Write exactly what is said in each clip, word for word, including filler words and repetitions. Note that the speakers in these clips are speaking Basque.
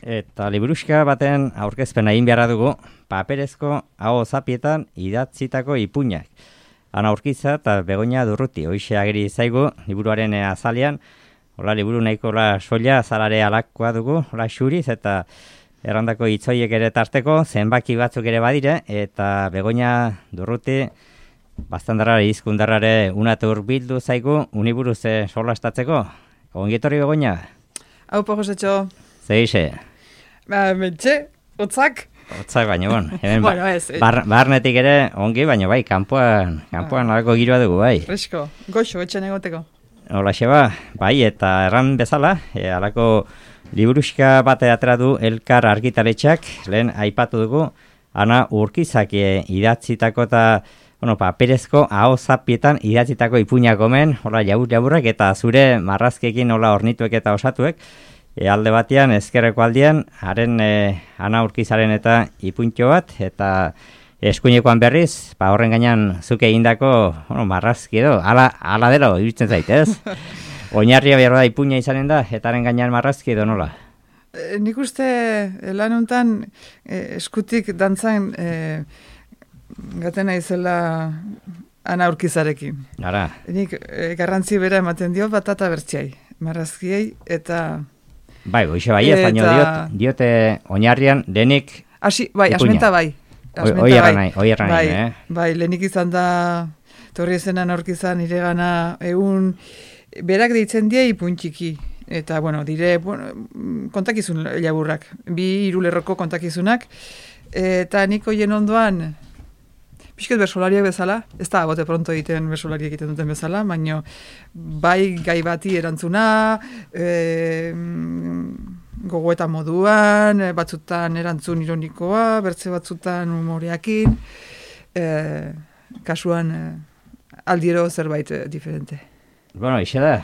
Eta liburuxka baten aurkezpena egin beharra dugu, paperezko aho zapietan idatzitako ipuinak. Ana Urkiza eta Begoña Durruti, hoxe ageri zaigu, liburuaren azalean, hola liburu nahiko hola soila, azalare alakoa dugu, hola xuriz, eta errandako hitzoiek ere tarteko, zenbaki batzuk ere badire, eta Begoña Durruti, bastandarrare, izkundarrare, unate hurbildu zaigu, uniburuz solastatzeko. Ongietorri Begoña? Hau po, Josetxo. Zeixe? Ba, mentxe, otzak. Otzak baino, bon. Hemen bueno, ez. Bar, barnetik ere ongi, baino bai, kanpoan, kanpoan ah. Alako giroa dugu, bai. Fresko, goxo, etxen egoteko. Hola, xeba, bai, eta erran bezala, e, alako liburuxka bate atera du Elkar argitaletxak, lehen aipatu dugu, Ana Urkizak e, idatzitako eta, bueno, paperezko aho zapietan idatzitako ipuinak omen, hola, jabur-jaburrak, eta zure marrazkekin hola ornituek eta osatuek, E, alde batean, ezkerreko aldean, haren e, Ana Urkizaren eta ipuntxo bat, eta eskuinekoan berriz, ba horren gainean zuke egindako, bueno, marrazki edo, ala, ala delo, iruditzen zait, ez? Oinarria behar da ipuina izanen da, eta haren gainean marrazki edo nola? E, nik uste lan honetan e, eskutik dantzan e, gatena izela Ana Urkizarekin. Ara. Nik e, garrantzi bera ematen dio batata bertxiai, marrazkiei, eta... Bai, goixe bai, ez baino diot, diote oinarrian lehenik Asi, bai, ipuina. Asmenta bai. Asmenta Oi erran bai. nahi, oi erran bai, nahi, eh? Bai, lehenik izan da, torri ezenan aurkizan iregana egun, berak deitzen die ipuntxiki. Eta, bueno, dire, bueno, kontakizun laburrak, bi hirulerroko kontakizunak. Eta nik hoien ondoan, pixket bersolariak bezala, ez da bote pronto egiten bersolariak egiten duten bezala, baina bai gai bati erantzuna, e, gogoeta moduan, batzutan erantzun ironikoa, bertze batzutan humoreakin, e, kasuan e, aldiero zerbait e, diferente. Bueno, ixe da,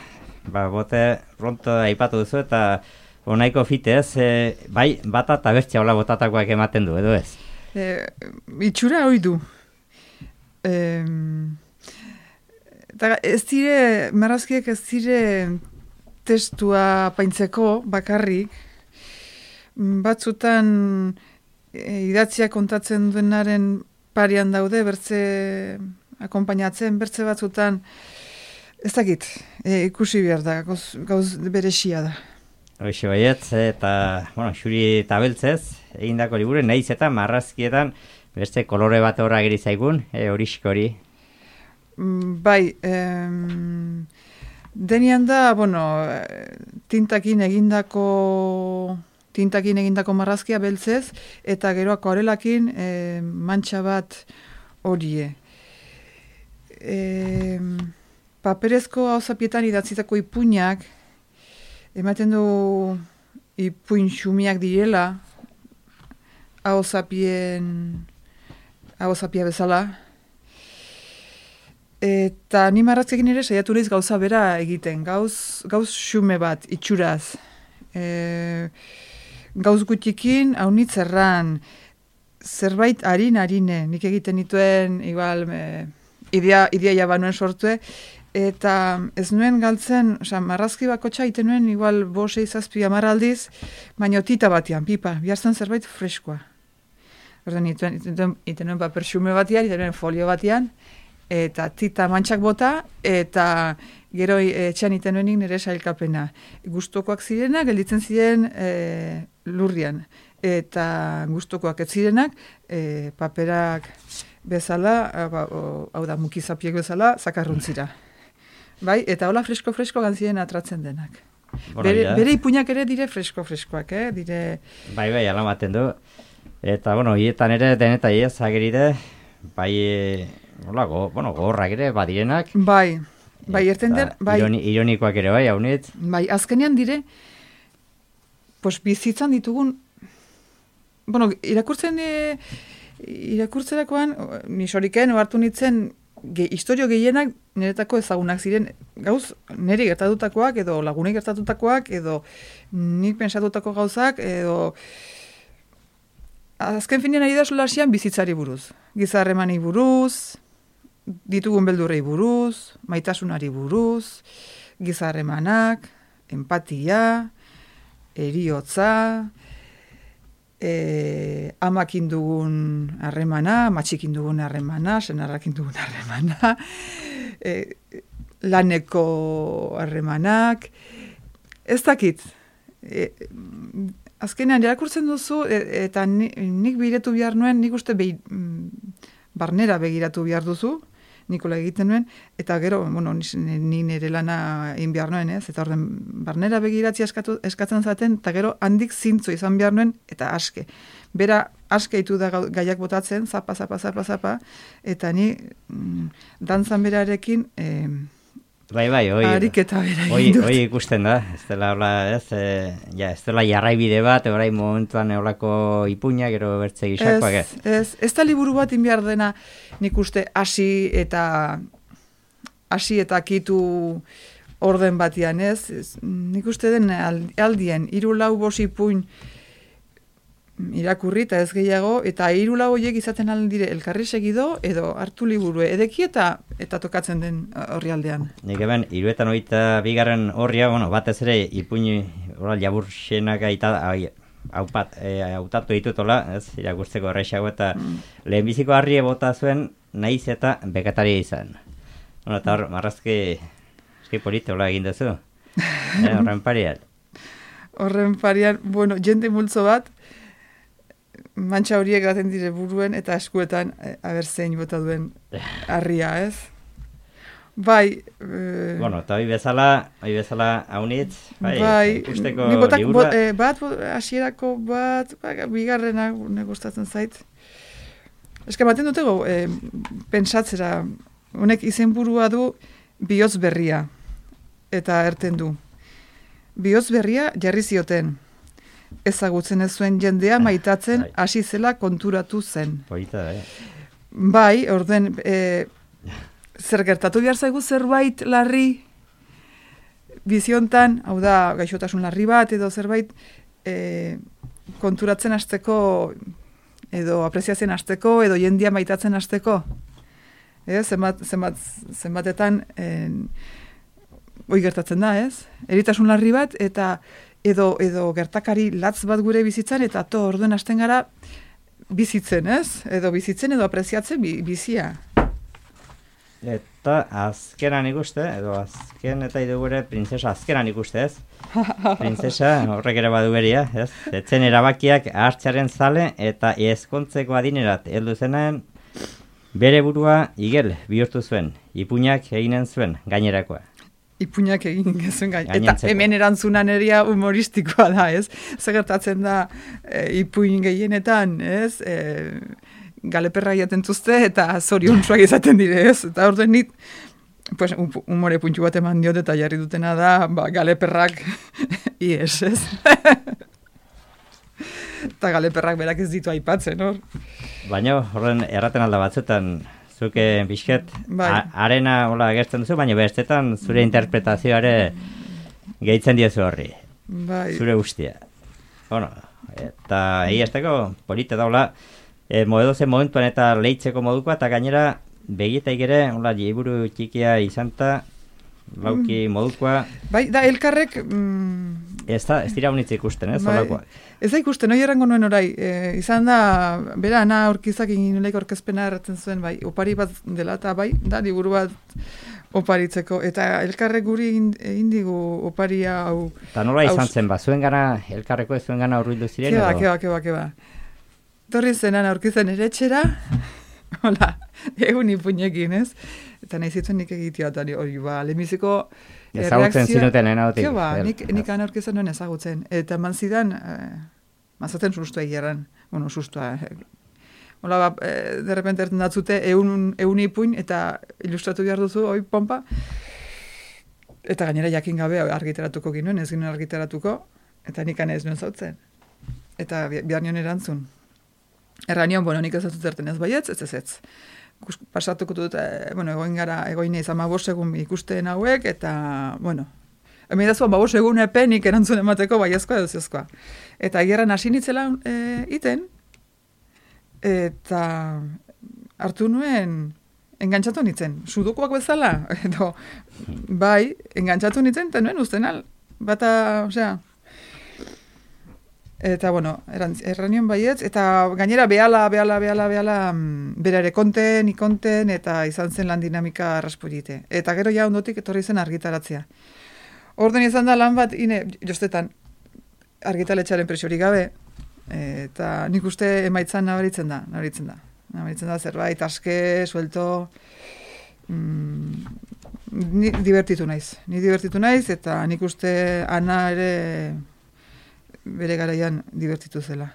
ba, bote pronto aipatu duzu eta onaiko fitez, e, bai bata eta bertxea hola botatakoak ematen du, edo ez? E, itxura hori du. Eh, ez dire, marrazkiek ez dire testua paintzeko bakarrik, batzutan e, idatzia kontatzen duenaren parian daude, bertze akompainatzen, bertze batzutan, ez dakit, e, ikusi behar da, gauz, gauz beresia da. Hoxe baiet, eta, bueno, xuri eta beltzez, egindako liburu, nahiz eta marrazkietan, beste kolore bat horra geri zaigun, e, horisko hori. Bai, em, denian da, bueno, tintakin egindako tintakin egindako marrazkia beltzez, eta gero akuarelakin e, mantxa bat horie. E, paperezko hauzapietan idatzitako ipuinak, ematen du ipuin xumiak direla, hauzapien hauzapia bezala. Eta ni marrazkekin ere saiatu naiz gauza bera egiten, gauz, gauz xume bat, itxuraz. E, gauz gutikin, haunitz erran, zerbait harin-harine, nik egiten dituen, igual, e, idea, idea jabanuen sortue, eta ez nuen galtzen, oza, marrazki bakotxa egiten nuen, igual, bose izazpi amaraldiz, baina tita batean, pipa, bihartzen zerbait freskoa. Ordan ituen, ituen, ituen paper xume batian, ituen folio batian, eta tita mantxak bota, eta gero etxean itenuenik nire sailkapena. Gustokoak zirenak, gelditzen ziren e, lurrian, eta gustokoak ez zirenak, e, paperak bezala, hau da, mukizapiek bezala, zakarruntzira. Bai, eta hola fresko-fresko gantzien atratzen denak. Bueno, bere, bere ipuinak ere dire fresko-freskoak, eh? Dire... Bai, bai, alamaten du. Eta, bueno, hietan ere, deneta ez, ageride, bai, hola, go, bueno, gorrak ere, badirenak. Bai, bai, erten den, bai. Ironi, ironikoak ere, bai, haunit. Bai, azkenean dire, pues, bizitzan ditugun, bueno, irakurtzen, e, irakurtzerakoan, nisoriken, ohartu nintzen, ge, historio gehienak niretako ezagunak ziren, gauz, niri gertatutakoak, edo lagunei gertatutakoak, edo nik pensatutako gauzak, edo... Azken finean ari da solasian bizitzari buruz. Gizarremanei buruz, ditugun beldurrei buruz, maitasunari buruz, gizarremanak, empatia, eriotza, e, amakin dugun harremana, matxikin dugun harremana, senarrakin dugun harremana, e, laneko harremanak, ez dakit. E, azkenean, irakurtzen duzu, e, eta ni, nik begiratu behar nuen, nik uste behi, barnera begiratu behar duzu, Nikola egiten nuen, eta gero, bueno, ni nire lana egin behar nuen, ez? Eta orden, barnera begiratzi eskatu, eskatzen zaten, eta gero handik zintzo izan behar nuen, eta aske. Bera, aske itu da gaiak botatzen, zapa, zapa, zapa, zapa, eta ni mm, dantzan berarekin... Eh, Bai, bai, oi, ariketa bera oi, egin dut. oi ikusten da, ez dela, hola, ez, e, ja, ez dela jarraibide bat, orain momentuan eolako ipuña, gero bertze gisakoak, ez? Ez, ez da liburu bat inbiar dena, nik uste hasi eta hasi eta kitu orden batian, ez? ez nik uste den aldien, hiru lau bost ipuin irakurri eta ez gehiago, eta hiru lau horiek izaten aldire elkarri segido, edo hartu liburu edeki eta eta tokatzen den horri aldean. Nik eben, hiruetan hogeita bigarren horria, bueno, batez ere ipuin oral jabur xenak aita, haupat, hautatu ditutola, ez, irakurtzeko errexago, eta mm. lehenbiziko harri bota zuen, naiz eta bekataria izan. Bueno, eta hor, marrazki, eski polite, hola egin duzu, eh, horren parian. Horren parian, bueno, jende multzo bat, mantxa horiek gaten dire buruen eta eskuetan e, aber zein bota duen harria, ez? Bai... E, bueno, eta hoi bezala, hoi bezala haunitz, bai, bai ikusteko botak, liburua. Bo, e, bat, hasierako bat, ba, bigarrena ne gustatzen zait. Eska baten dutego, e, pentsatzera, honek izenburua du bihotz berria, eta erten du. Bihotz berria jarri zioten. Ezagutzen ez zuen jendea maitatzen hasi zela konturatu zen. Polita, eh? Bai, orden, e, zer gertatu behar zaigu zerbait larri biziontan, hau da, gaixotasun larri bat, edo zerbait e, konturatzen hasteko, edo apreziatzen hasteko, edo jendea maitatzen hasteko. E, zenbat, zenbat, zenbatetan, en, hoi gertatzen da, ez? Eritasun larri bat, eta edo edo gertakari latz bat gure bizitzan, eta to orduen hasten gara bizitzen, ez? Edo bizitzen edo apreziatzen bi, bizia. Eta azkenan ikuste, edo azken eta idu gure printzesa azkenan ikuste, ez? Printzesa horrek ere badu beria, ez? Etzen erabakiak hartzearen zale eta ezkontzeko adinerat heldu zenaren bere burua igel bihurtu zuen, ipuinak eginen zuen gainerakoa. Ipuinak egin gezuen gain. Eta hemen erantzunan eria humoristikoa da, ez? Zegertatzen da e, ipuin gehienetan, ez? E, galeperra jaten tuzte eta zoriontsuak izaten dire, ez? Eta orduan nit, pues, humore puntxu bat eman diot eta jarri dutena da, ba, galeperrak ies, ez? Eta galeperrak berak ez ditu aipatzen, hor? Baina horren erraten alda batzutan, zuke bizket, bai. arena hola agertzen duzu, baina bestetan zure interpretazioare gehitzen diozu horri. Bai. Zure guztia. Bueno, eta egiazteko polite daula, e, moedozen momentuan eta leitzeko modukoa, eta gainera begitaik ere, hola, liburu txikia izanta, lauki modukoa. Bai, da, elkarrek... Mm, ez, da, ez dira honitz ikusten, ez, bai, holakoa. Ez da ikusten, hori errango nuen orai. E, izan da, bera, ana aurkizak egin nolaik orkezpena erratzen zuen, bai, opari bat dela, eta bai, da, liburu bat oparitzeko. Eta elkarrek guri egin digu oparia hau... Eta nola izan zen, ba, zuen gana, elkarreko ez zuen gana urbildu ziren? Keba, keba, keba, keba. Torri zenan aurkizan ere etxera, hola, egun ipuinekin, ez? Eta nahi zituen nik egitea, eta hori, ba, lehenbiziko... Ezagutzen zinuten lehenagotik. Keba, nik, nik han aurkizan nuen ezagutzen. Eta man zidan, eh, mazaten sustua egeran, bueno, sustua, eh, hola, ba, eh, derrepente erten datzute, eun, eun ipuin, eta ilustratu behar duzu, oi, pompa, eta gainera jakin gabe argiteratuko ginoen, ez ginoen argiteratuko, eta nik ez nuen zautzen. Eta bihar nion erantzun. Erra nion, bueno, nik ez dut zerten ez baietz, ez ez ez. Pasatuko dut, e, bueno, egoin gara, egoin izan mabos egun ikusten hauek, eta, bueno, hemen dazua mabos egun epenik erantzun emateko baiezkoa edo zezkoa. Eta gerran hasi nitzela e, iten, eta hartu nuen, engantzatu nitzen, sudokuak bezala, edo, bai, engantzatu nitzen, eta nuen usten al, bata, osea, Eta, bueno, erranion baietz, eta gainera behala, behala, behala, behala, bera ere konten, ikonten, eta izan zen lan dinamika raspolite. Eta gero ja ondotik etorri zen argitaratzea. Orden izan da lan bat, ine, jostetan, argitaletxaren presiorik gabe, eta nik uste emaitzan nabaritzen da, nabaritzen da. Nabaritzen da zerbait, aske, suelto, mm, ni divertitu naiz. Ni divertitu naiz, eta nik uste Ana ere bere garaian divertitu zela.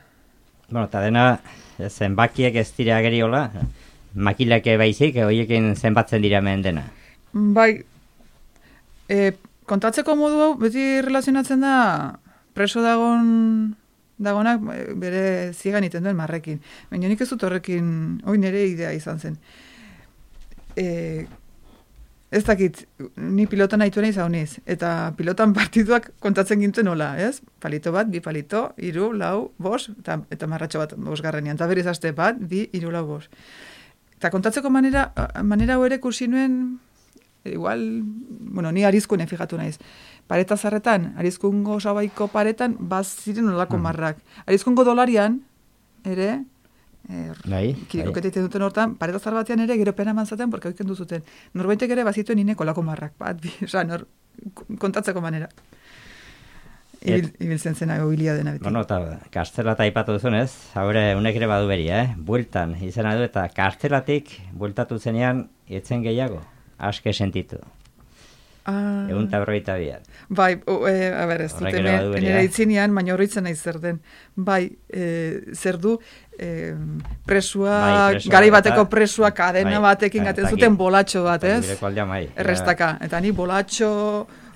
Bueno, eta dena, zenbakiek ez dira geriola, makilake baizik, horiekin zenbatzen dira hemen dena. Bai, e, kontatzeko modu hau, beti relazionatzen da, preso dagon, dagonak bere zigan iten duen marrekin. Baina nik ez dut horrekin, hoi nire idea izan zen. E, ez dakit, ni pilotan nahitu nahi zauniz, eta pilotan partiduak kontatzen gintzen nola, ez? Palito bat, bi palito, iru, lau, bos, eta, eta marratxo bat bosgarrenean, eta berriz aste bat, bi, iru, lau, bos. Eta kontatzeko manera, manera hau ere kursi nuen, igual, bueno, ni arizkunen fijatu naiz. Pareta zarretan, arizkungo sabaiko paretan, baz ziren nolako marrak. Arizkungo dolarian, ere, Bai, kirikoketiten duten hortan, pareta zar batean ere gero pena manzaten, porque oiken duzuten. Norbaitek ere bazituen ineko lako marrak, bat, bi, oza, nor, kontatzeko manera. Ibil, ibiltzen zena gobilia dena beti. Bueno, eta kartzela eta aipatu duzunez, haure unek ere badu beria, eh? Bueltan izena du, eta kartzelatik bueltatu zenean, etzen gehiago, aske sentitu. Ah. Egun eta berroita bian. Bai, o, e, a ber, ez dut, nire itzinean, baina horretzen nahi zer den. Bai, e, zer du, e, presua, bai, presua garai bateko eta, presua kadena bai, batekin gaten zuten bolatxo bat, ez? Bai, errestaka. Eta ni bolatxo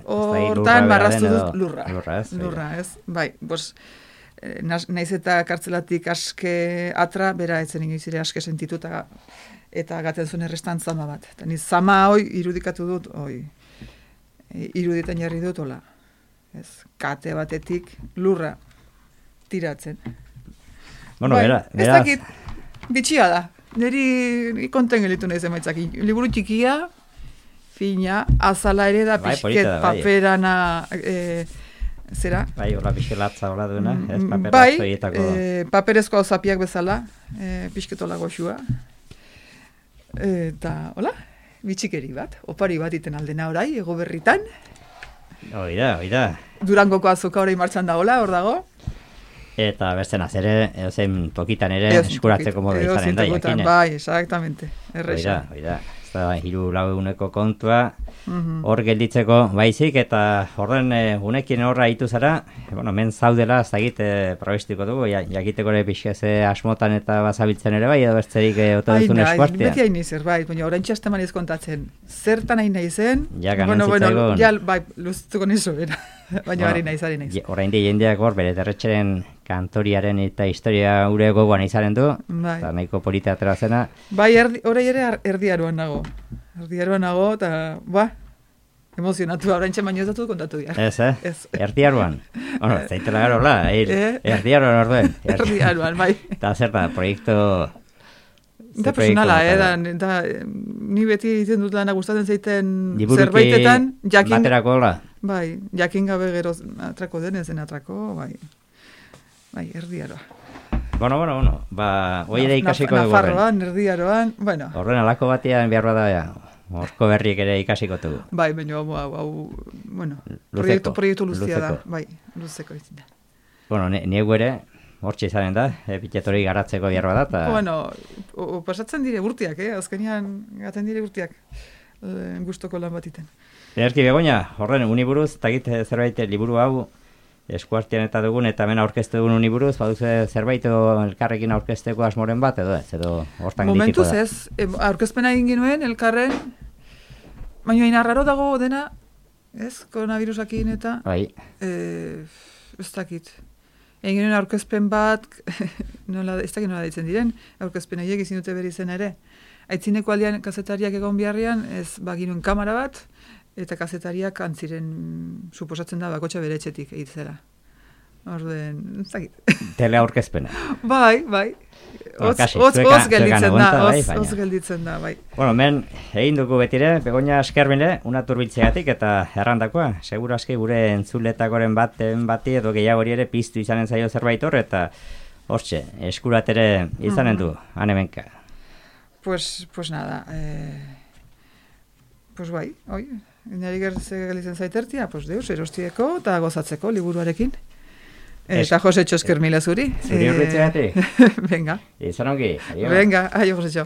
hortan marraztu dut lurra. Lurra, ez? Lurra, ez? Bai, bos, naiz eta kartzelatik aske atra, bera etzen ingizire aske sentitu eta, eta gaten zuen errestan zama bat. Eta ni zama hoi irudikatu dut, hoi. Iruditan jarri dut, hola. Ez, kate batetik lurra tiratzen. Bueno, bai, bera, ez dakit, bitxia da. Neri konten gelitu nahi zemaitzak. Liburu txikia, fina, azala ere da, bai, pixket da, bai. Paperana, e, zera? Bai, hola pixelatza hola duena, ez paperazko bai, hietako. E, paperezko hau zapiak bezala, e, pixketola goxua. Eta, hola? Bitxikeri bat, opari bat iten aldena orai, ego berritan. Oida, oida. Durangoko azoka orai martxan dagoela, hor dago. Eta beste nazere, eozein tokitan ere eskuratzeko modu izanen da, jakine. Bai, exactamente, erresa. Oida, oida. Ez da, hiru lau eguneko kontua, hor gelditzeko baizik, eta horren e, unekin horra hitu zara, bueno, men zaudela, ez dagit, e, probestiko dugu, ja, jakiteko ere pixkeze asmotan eta bazabiltzen ere bai, edo bertzerik e, otoduzun eskuartia. Beti hain izan, bai, baina orain txasteman kontatzen, zertan hain nahi zen, ja, bueno, bueno, ja, bai, luztuko nizu, bera, baina hari nahi zari nahi. Orain di jendeak hor, bere derretxeren kantoriaren eta historia ure gogoan izaren du, bai. Eta nahiko polita atera zena. Bai, orai ere erdiaruan nago. Erdiaruan nago, eta, ba, emozionatu, orain txan baino ez datu kontatu dira. Ez, eh? Ez. Erdiaruan. Bueno, zaitela garo, la, eh? Erdiaruan orduen. Erdiaruan, bai. Eta zer da, proiektu... Da personala, eh? Da, da, ni beti izan dut lana gustatzen zeiten zerbaitetan, jakin... Baterako, la? Bai, jakin gabe gero atrako denezen atrako, bai. Bai, erdiaroa. Bueno, bueno, bueno, ba, hoi ere ikasiko dugu horren. Nafarroan, erdiaroan, bueno. Horren alako batean behar bada, ja, horko berriek ere ikasiko dugu. Bai, baina, hau, hau, hau, bueno, proiektu, proiektu luztia da, bai, luzeko izin da. Bueno, niegu ere, hortxe izanen da, epitetori garatzeko behar bada, eta... Bueno, o, o, pasatzen dire urtiak, eh, azkenean gaten dire urtiak, e, gustoko lan batiten. Erki Begoña, horren uniburuz, eta gite zerbait liburu hau, eskuartian eta dugun, eta hemen aurkeztu dugun uniburuz, baduzu zerbait elkarrekin aurkezteko asmoren bat, edo ez, edo hortan ditiko da. Momentuz ez, e, aurkezpena egin ginuen, elkarren, baina inarraro dago dena, ez, koronavirusakin eta, bai. E, ez dakit, egin ginuen aurkezpen bat, nola, ez dakit nola ditzen diren, aurkezpen horiek izin dute beri zen ere, aitzineko aldean kazetariak egon biharrian, ez, baginuen kamera bat, eta kazetariak antziren, suposatzen da, bakotxa bere etxetik egitzera. Orden, ez dakit. Teleaurkezpena. Bai, bai. Bueno, Oz, kasi, oz, zueka- oz gelditzen zuekan da, aguanta, bai, oz, baina. oz gelditzen da, bai. Bueno, men, egin dugu betire, Begoña eskerbile, una turbiltzegatik eta errandakoa. Seguro aski gure entzuletakoren baten bati edo gehiago hori ere piztu izanen zaio zerbait hor, eta hortxe, eskuratere izanen du, anemenka. Pues, pues nada, eh, pues bai, oi, nari gertze gelitzen zaitertia, pues deus, erostieko eta gozatzeko liburuarekin. Eta Jose Txosker mila zuri. Zuri horretzegatik? Venga. Izan ongi, adio. Venga, aio Jose Txo.